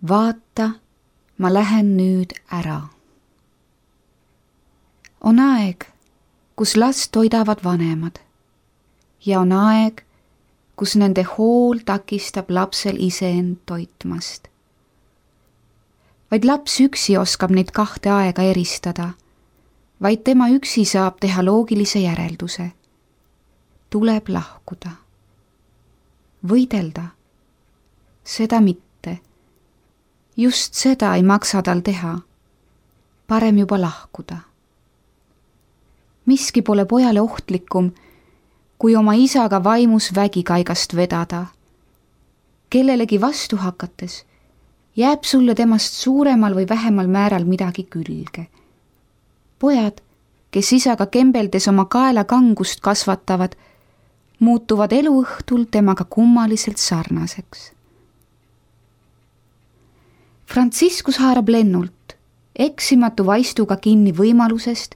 vaata, ma lähen nüüd ära. On aeg, kus last toidavad vanemad ja on aeg, kus nende hool takistab lapsel iseend toitmast. Vaid laps üksi oskab neid kahte aega eristada, vaid tema üksi saab teha loogilise järelduse. Tuleb lahkuda. Võidelda. Seda mitte. Just seda ei maksa tal teha. Parem juba lahkuda. Miski pole pojale ohtlikum, kui oma isaga vaimus vägikaigast vedada. Kellelegi vastu hakates jääb sulle temast suuremal või vähemal määral midagi külge. Pojad, kes isaga kembeldes oma kaela kangust kasvatavad, muutuvad eluõhtul temaga kummaliselt sarnaseks. Franciscus haarab lennult, eksimatu vaistuga kinni võimalusest,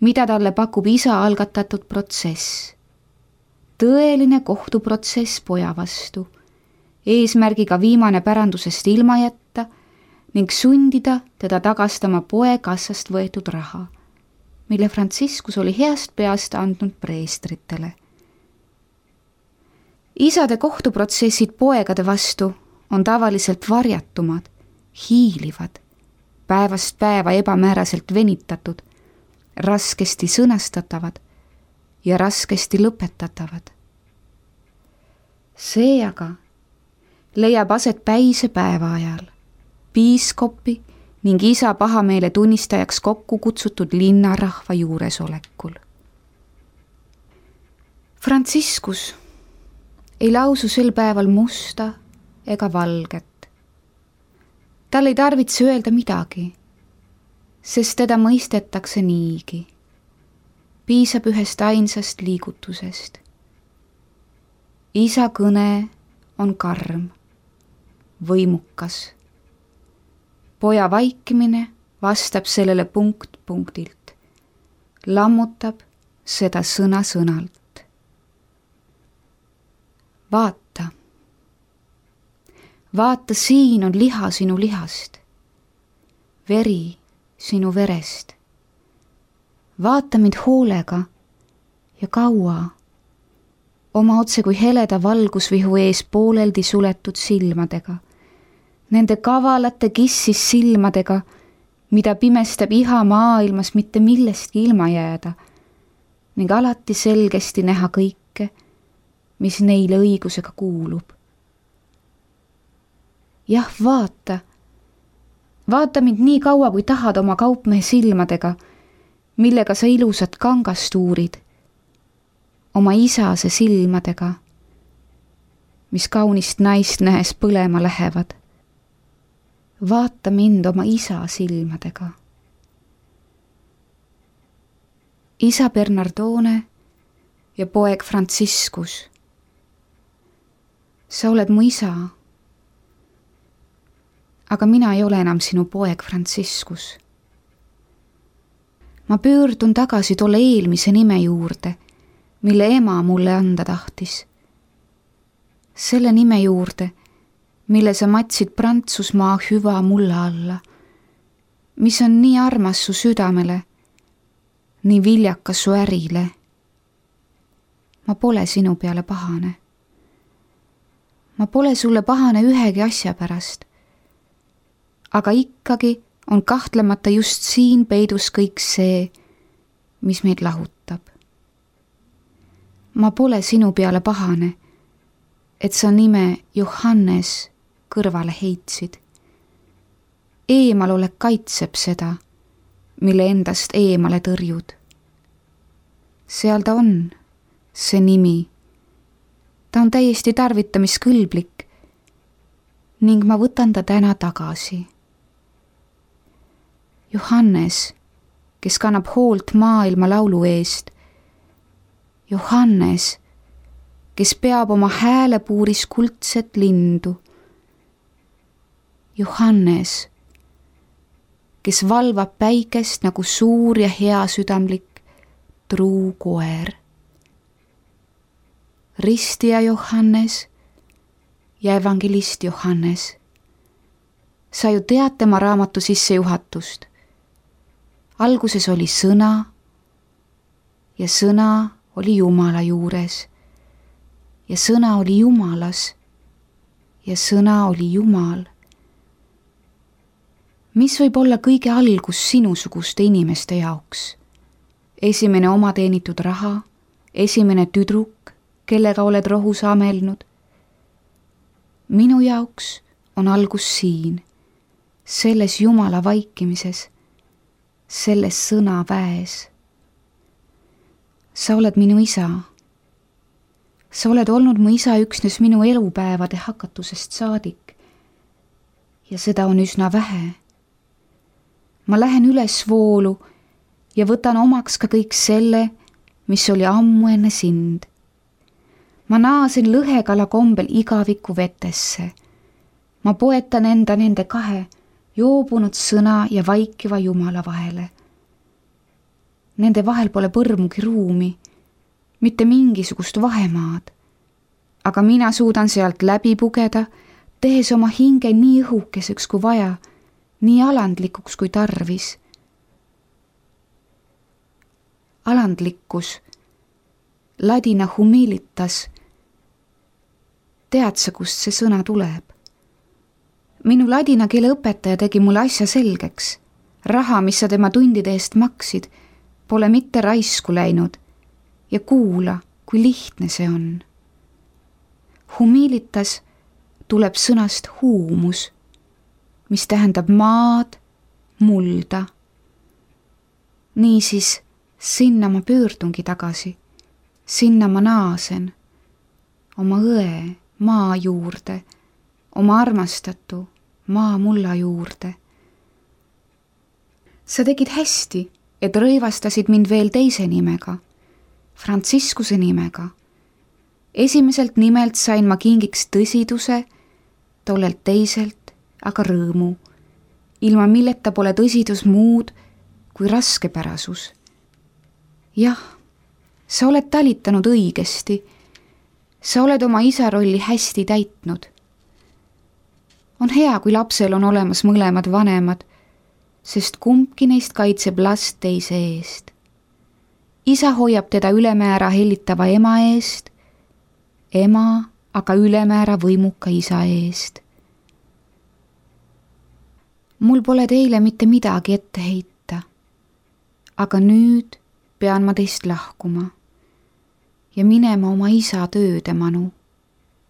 mida talle pakub isa algatatud protsess. Tõeline kohtuprotsess poja vastu, eesmärgiga viimane pärandusest ilma jätta ning sundida teda tagastama poe kassast võetud raha, mille Franciscus oli heast peast andnud preestritele. Isade kohtuprotsessid poegade vastu on tavaliselt varjatumad, hiilivad, päevast päeva ebamääraselt venitatud, raskesti sõnastatavad ja raskesti lõpetatavad. See aga leiab aset päise päeva ajal, piiskopi ning isa pahameele tunnistajaks kokku kutsutud linnarahva juuresolekul. Franciscus ei lausu sel päeval musta ega valget. Tal ei tarvitse öelda midagi, sest teda mõistetakse niigi. Piisab ühest ainsast liigutusest. Isa kõne on karm, võimukas. Poja vaikimine vastab sellele punkt punktilt, lammutab seda sõna sõnalt. Vaata. Vaata, siin on liha sinu lihast, veri sinu verest. Vaata mind hoolega ja kaua, oma otse kui heleda valgusvihu ees pooleldi suletud silmadega, nende kavalate kissis silmadega, mida pimestab iha maailmas mitte millestki ilma jääda ning alati selgesti näha kõike, mis neile õigusega kuulub. Jah, vaata. Vaata mind nii kaua, kui tahad oma kaupmehe silmadega, millega sa ilusat kangast uurid, oma isase silmadega, mis kaunist naist nähes põlema lähevad. Vaata mind oma isa silmadega. Isa Bernardone ja poeg Franciscus. Sa oled mu isa, aga mina ei ole enam sinu poeg Franciscus. Ma pöördun tagasi tolle eelmise nime juurde, mille ema mulle anda tahtis. Selle nime juurde, mille sa matsid Prantsusmaa hüva mulla alla, mis on nii armas su südamele, nii viljakas su ärile. Ma pole sinu peale pahane. Ma pole sulle pahane ühegi asja pärast, aga ikkagi on kahtlemata just siin peidus kõik see, mis meid lahutab. Ma pole sinu peale pahane, et sa nime Johannes kõrvale heitsid. Eemalolek kaitseb seda, mille endast eemale tõrjud. Seal ta on, see nimi. Ta on täiesti tarvitamiskõlblik ning ma võtan ta täna tagasi. Johannes, kes kannab hoolt maailma laulu eest. Johannes, kes peab oma häälepuuris kuldset lindu. Johannes, kes valvab päikest nagu suur ja heasüdamlik truu koer. Ristija Johannes ja evangelist Johannes. sa ju tead tema raamatu sissejuhatust. Alguses oli sõna ja sõna oli Jumala juures ja sõna oli Jumalas ja sõna oli Jumal. Mis võib olla kõige algus sinusuguste inimeste jaoks? Esimene oma teenitud raha, esimene tüdruk, kellega oled rohus amelnud. Minu jaoks on algus siin, selles Jumala vaikimises, selles sõna väes. Sa oled minu isa. Sa oled olnud mu isa üksnes minu elupäevade hakatusest saadik. Ja seda on üsna vähe. Ma lähen üles voolu ja võtan omaks ka kõik selle, mis oli ammu enne sind. Ma naasen lõhekala kombel igaviku vetesse. Ma poetan enda nende kahe joobunud sõna ja vaikiva Jumala vahele. Nende vahel pole põrmugi ruumi, mitte mingisugust vahemaad, aga mina suudan sealt läbi pugeda, tehes oma hinge nii õhukeseks kui vaja, nii alandlikuks kui tarvis. Alandlikkus, ladina humilitas. Tead sa, kust see sõna tuleb? Minu ladina keele õpetaja tegi mulle asja selgeks. Raha, mis sa tema tundide eest maksid, pole mitte raisku läinud ja kuula, kui lihtne see on. Humilitas tuleb sõnast huumus, mis tähendab maad, mulda. Niisiis, sinna ma pöördungi tagasi, sinna ma naasen, oma õe maa juurde, oma armastatu maa mulla juurde. Sa tegid hästi, et rõivastasid mind veel teise nimega, Frantsiskuse nimega. Esimeselt nimelt sain ma kingiks tõsiduse, tollelt teiselt aga rõõmu, ilma milleta pole tõsidus muud kui raskepärasus. Jah, sa oled talitanud õigesti, sa oled oma isa rolli hästi täitnud. On hea, kui lapsel on olemas mõlemad vanemad, sest kumbki neist kaitseb last teise eest. Isa hoiab teda ülemäära hellitava ema eest, ema aga ülemäära võimuka isa eest. Mul pole teile mitte midagi ette heita, aga nüüd pean ma teist lahkuma ja minema oma isa tööde manu.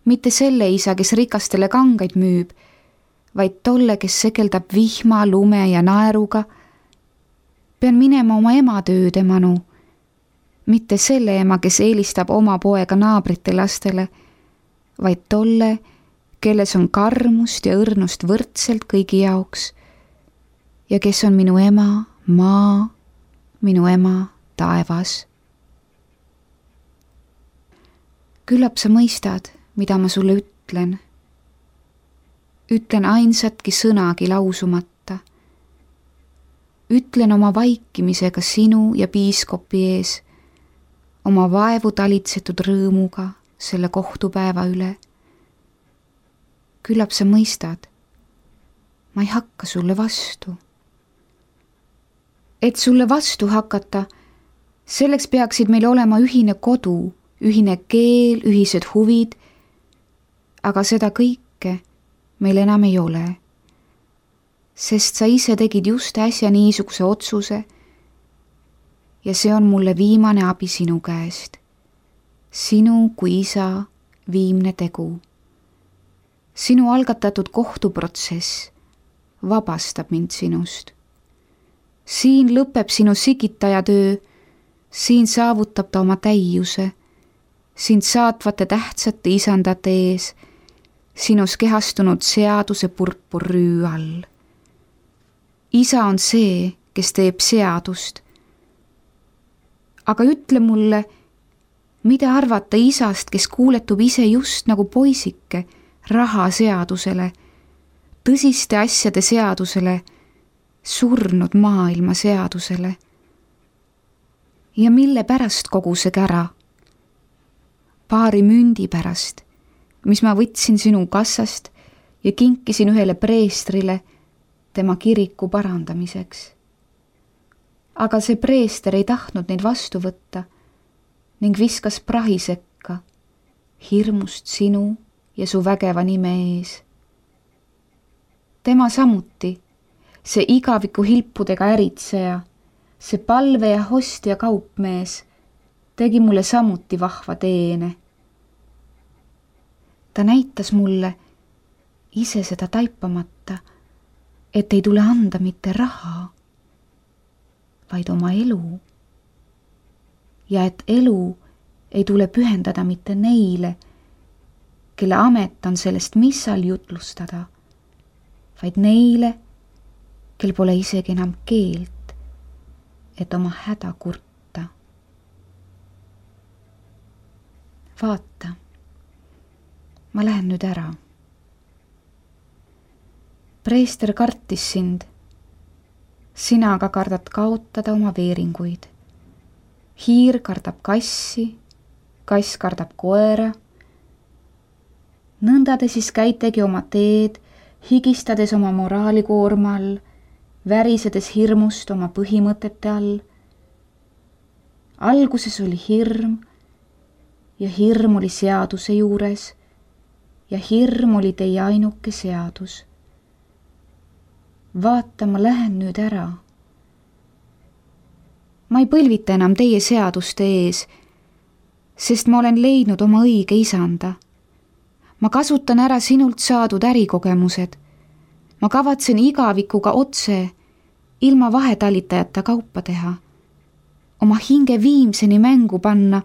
Mitte selle isa, kes rikastele kangaid müüb, vaid tolle, kes sekeldab vihma, lume ja naeruga. Pean minema oma ema tööde manu, mitte selle ema, kes eelistab oma poega naabrite lastele, vaid tolle, kelles on karmust ja õrnust võrdselt kõigi jaoks ja kes on minu ema maa, minu ema taevas. Küllap sa mõistad, mida ma sulle ütlen. Ütlen ainsatki sõnagi lausumata. Ütlen oma vaikimisega sinu ja piiskopi ees, oma vaevu talitsetud rõõmuga selle kohtupäeva üle. Küllap sa mõistad, ma ei hakka sulle vastu. Et sulle vastu hakata, selleks peaksid meil olema ühine kodu, ühine keel, ühised huvid, aga seda kõike meil enam ei ole. Sest sa ise tegid just äsja niisuguse otsuse ja see on mulle viimane abi sinu käest. Sinu kui isa viimne tegu. Sinu algatatud kohtuprotsess vabastab mind sinust. Siin lõpeb sinu sigitaja töö, siin saavutab ta oma täiuse, sind saatvate tähtsate isandate ees, sinus kehastunud seaduse purpurrüü all. Isa on see, kes teeb seadust. Aga ütle mulle, mida arvata isast, kes kuuletub ise just nagu poisike rahaseadusele, tõsiste asjade seadusele, surnud maailma seadusele. Ja mille pärast kogu see kära? Paari mündi pärast, mis ma võtsin sinu kassast ja kinkisin ühele preestrile tema kiriku parandamiseks. Aga see preester ei tahtnud neid vastu võtta ning viskas prahi sekka, hirmust sinu ja su vägeva nime ees. Tema samuti, see igaviku hilpudega äritseja, see palve ja hostia kaupmees, tegi mulle samuti vahva teene. Ta näitas mulle, ise seda taipamata, et ei tule anda mitte raha, vaid oma elu. Ja et elu ei tule pühendada mitte neile, kelle amet on sellest missal jutlustada, vaid neile, kel pole isegi enam keelt, et oma häda kurta. Vaata, ma lähen nüüd ära. Preester kartis sind, sina aga kardad kaotada oma veeringuid. Hiir kardab kassi, kass kardab koera. Nõnda te siis käitegi oma teed, higistades oma moraalikoorma all, värisedes hirmust oma põhimõtete all. Alguses oli hirm ja hirm oli seaduse juures ja hirm oli teie ainuke seadus. Vaata, ma lähen nüüd ära. Ma ei põlvita enam teie seaduste ees, sest ma olen leidnud oma õige isanda. Ma kasutan ära sinult saadud ärikogemused. Ma kavatsen igavikuga otse, ilma vahetalitajata kaupa teha, oma hinge viimseni mängu panna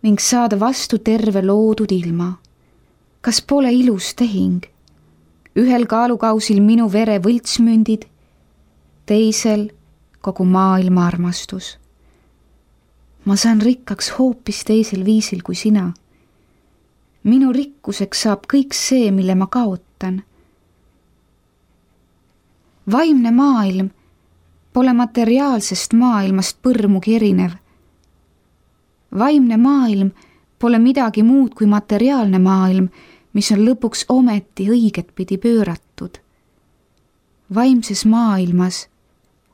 ning saada vastu terve loodud ilma. Kas pole ilus tehing? Ühel kaalukausil minu vere võltsmündid, teisel kogu maailma armastus. Ma saan rikkaks hoopis teisel viisil kui sina. Minu rikkuseks saab kõik see, mille ma kaotan. Vaimne maailm pole materiaalsest maailmast põrmugi erinev. Vaimne maailm pole midagi muud kui materiaalne maailm, mis on lõpuks ometi õiget pidi pööratud. Vaimses maailmas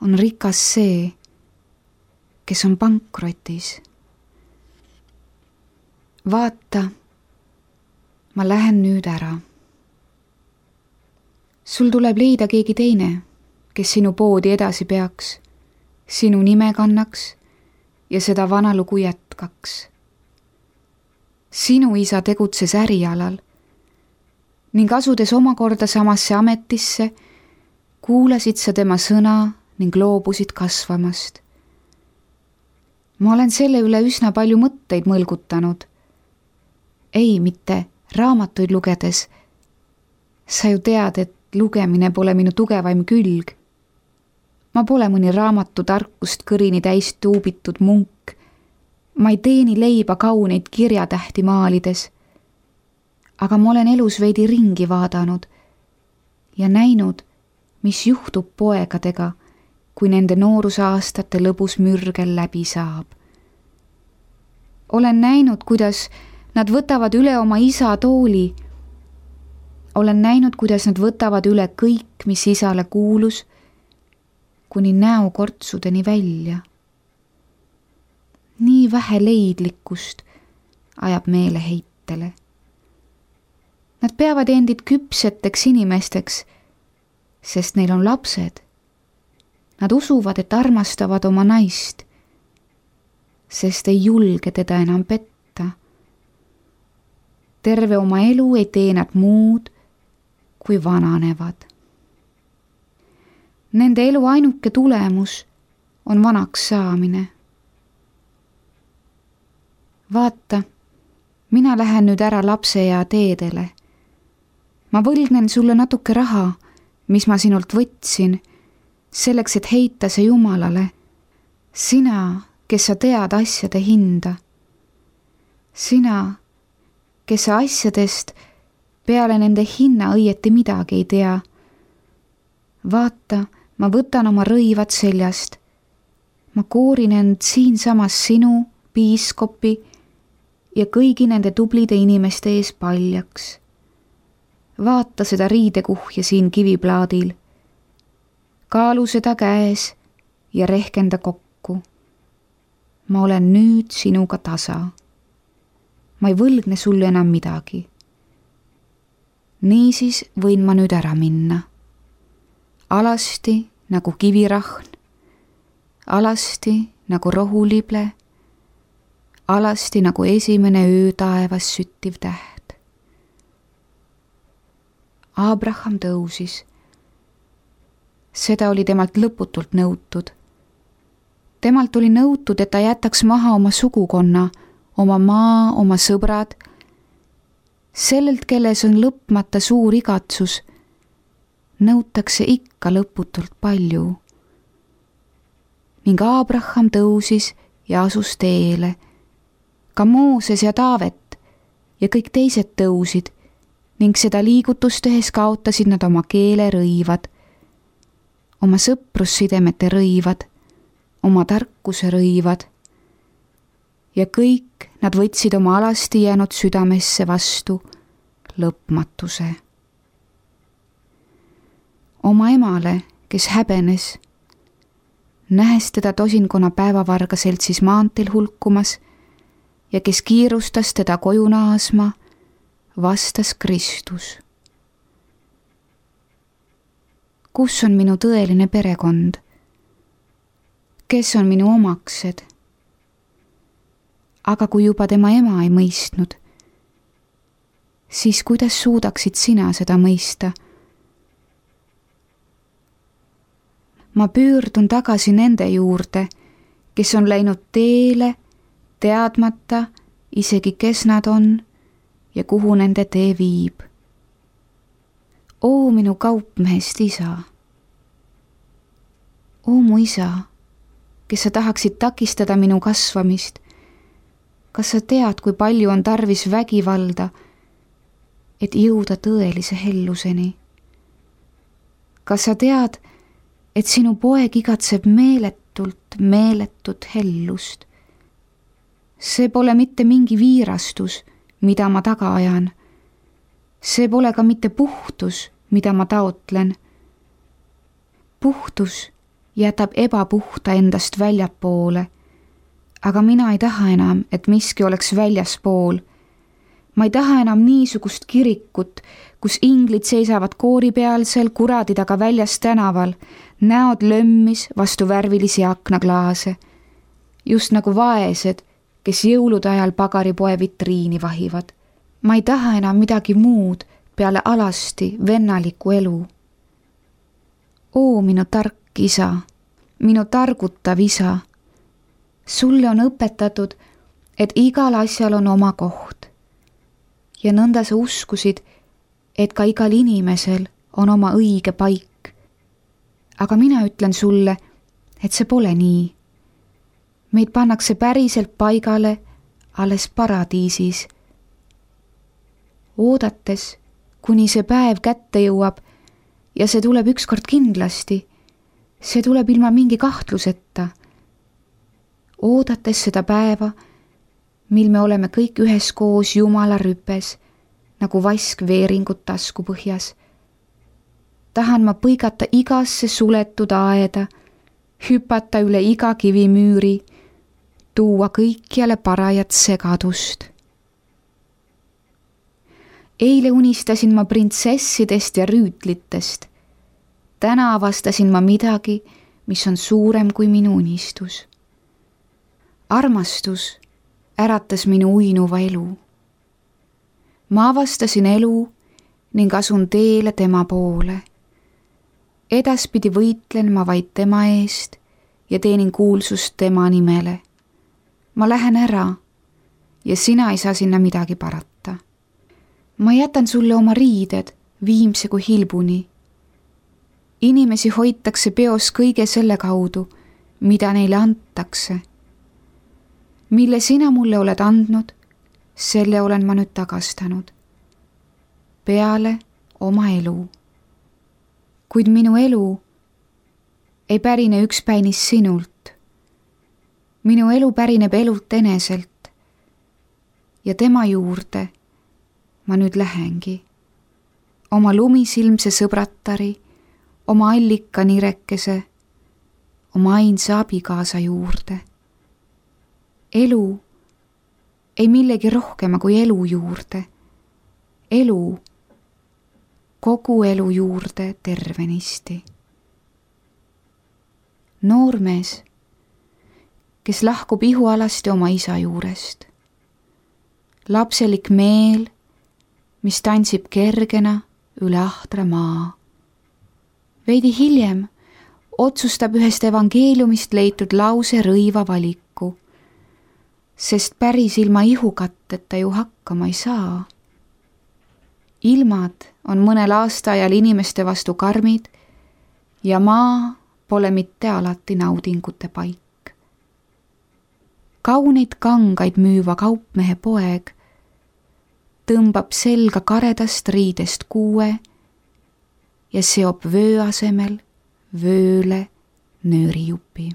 on rikas see, kes on pankrotis. Vaata, ma lähen nüüd ära. Sul tuleb leida keegi teine, kes sinu poodi edasi peaks, sinu nime kannaks ja seda vana lugu jätkaks. Sinu isa tegutses ärialal ning asudes omakorda samasse ametisse, kuulasid sa tema sõna ning loobusid kasvamast. Ma olen selle üle üsna palju mõtteid mõlgutanud. Ei, mitte raamatuid lugedes. Sa ju tead, et lugemine pole minu tugevaim külg. Ma pole mõni raamatu tarkust kõrini täis tuubitud munk. Ma ei teeni leiba kauneid kirjatähti maalides. Aga ma olen elus veidi ringi vaadanud ja näinud, mis juhtub poegadega, kui nende noorusaastate lõbus mürgel läbi saab. Olen näinud, kuidas nad võtavad üle oma isa tooli. Olen näinud, kuidas nad võtavad üle kõik, mis isale kuulus, kuni näokortsudeni välja. Nii vähe leidlikkust ajab meeleheitele. Nad peavad endid küpseteks inimesteks, sest neil on lapsed. Nad usuvad, et armastavad oma naist, sest ei julge teda enam petta. Terve oma elu ei tee nad muud, kui vananevad. Nende elu ainuke tulemus on vanaks saamine. Vaata, mina lähen nüüd ära lapseea teedele. Ma võlgnen sulle natuke raha, mis ma sinult võtsin, selleks, et heita see Jumalale. Sina, kes sa tead asjade hinda. Sina, kes sa asjadest peale nende hinna õieti midagi ei tea. Vaata, ma võtan oma rõivad seljast. Ma koorin end siinsamas sinu, piiskopi ja kõigi nende tublide inimeste ees paljaks. Vaata seda riidekuhja siin kiviplaadil. kaalu seda käes ja rehkenda kokku. Ma olen nüüd sinuga tasa. Ma ei võlgne sulle enam midagi. Niisiis võin ma nüüd ära minna. Alasti nagu kivirahn, alasti nagu rohulible, alasti nagu esimene öö taevas süttiv täht. Abraham tõusis. Seda oli temalt lõputult nõutud. Temalt oli nõutud, et ta jätaks maha oma sugukonna, oma maa, oma sõbrad, sellelt, kelles on lõpmata suur igatsus, nõutakse ikka lõputult palju. Ning Abraham tõusis ja asus teele. Ka Mooses ja Taavet ja kõik teised tõusid ning seda liigutust tehes kaotasid nad oma keele rõivad, oma sõprussidemete rõivad, oma tarkuse rõivad ja kõik nad võtsid oma alasti jäänud südamesse vastu lõpmatuse. Oma emale, kes häbenes, nähes teda tosinkonna päevavarga seltsis maanteel hulkumas ja kes kiirustas teda koju naasma, vastas Kristus. Kus on minu tõeline perekond? Kes on minu omaksed? Aga kui juba tema ema ei mõistnud, siis kuidas suudaksid sina seda mõista? Ma pöördun tagasi nende juurde, kes on läinud teele, teadmata isegi kes nad on ja kuhu nende tee viib. Oo minu kaupmehest isa. Oo mu isa, kes sa tahaksid takistada minu kasvamist. Kas sa tead, kui palju on tarvis vägivalda, et jõuda tõelise helluseni? Kas sa tead, et sinu poeg igatseb meeletut hellust? See pole mitte mingi viirastus, mida ma taga ajan. See pole ka mitte puhtus, mida ma taotlen. Puhtus jätab ebapuhta endast väljapoole, aga mina ei taha enam, et miski oleks väljaspool. Ma ei taha enam niisugust kirikut, kus inglid seisavad koori pealsel kuradi taga väljas tänaval, näod lömmis vastu värvilisi aknaklaase, just nagu vaesed, kes jõulude ajal pagaripoe vitriini vahivad. Ma ei taha enam midagi muud peale alasti vennaliku elu. Oo minu tark isa, minu targutav isa, sulle on õpetatud, et igal asjal on oma koht. Ja nõnda sa uskusid, et ka igal inimesel on oma õige paik. Aga mina ütlen sulle, et see pole nii. Meid pannakse päriselt paigale alles paradiisis. Oodates, kuni see päev kätte jõuab ja see tuleb ükskord kindlasti, see tuleb ilma mingi kahtluseta. Oodates seda päeva, mil me oleme kõik üheskoos Jumala rüpes, nagu vask veeringut tasku põhjas. Tahan ma põigata igasse suletud aeda, hüpata üle iga kivimüüri, tuua kõikjale parajat segadust. Eile unistasin ma printsessidest ja rüütlitest. Täna avastasin ma midagi, mis on suurem kui minu unistus. Armastus äratas minu uinuva elu. Ma avastasin elu ning asun teele tema poole. Edaspidi võitlen ma vaid tema eest ja teenin kuulsust tema nimele. Ma lähen ära ja sina ei saa sinna midagi parata. Ma jätan sulle oma riided viimse kui hilbuni. Inimesi hoitakse peos kõige selle kaudu, mida neile antakse. Mille sina mulle oled andnud, selle olen ma nüüd tagastanud. Peale oma elu. Kuid minu elu ei pärine ükspäinis sinult. Minu elu pärineb elult eneselt ja tema juurde ma nüüd lähengi. Oma lumisilmse sõbratari, oma allika nirekese, oma ainsa abikaasa juurde. Elu, ei millegi rohkema kui elu juurde. Elu, kogu elu juurde tervenisti. Noormees, kes lahkub ihualasti oma isa juurest. Lapselik meel, mis tantsib kergena üle ahtra maa. Veidi hiljem otsustab ühest evangeeliumist leitud lause rõiva valiku, sest päris ilma ihukatteta ju hakkama ei saa. Ilmad on mõnel aastaajal inimeste vastu karmid ja maa pole mitte alati naudingute paik. Kauneid kangaid müüva kaupmehe poeg tõmbab selga karedast riidest kuue ja seob vöö asemel vööle nöörijupi.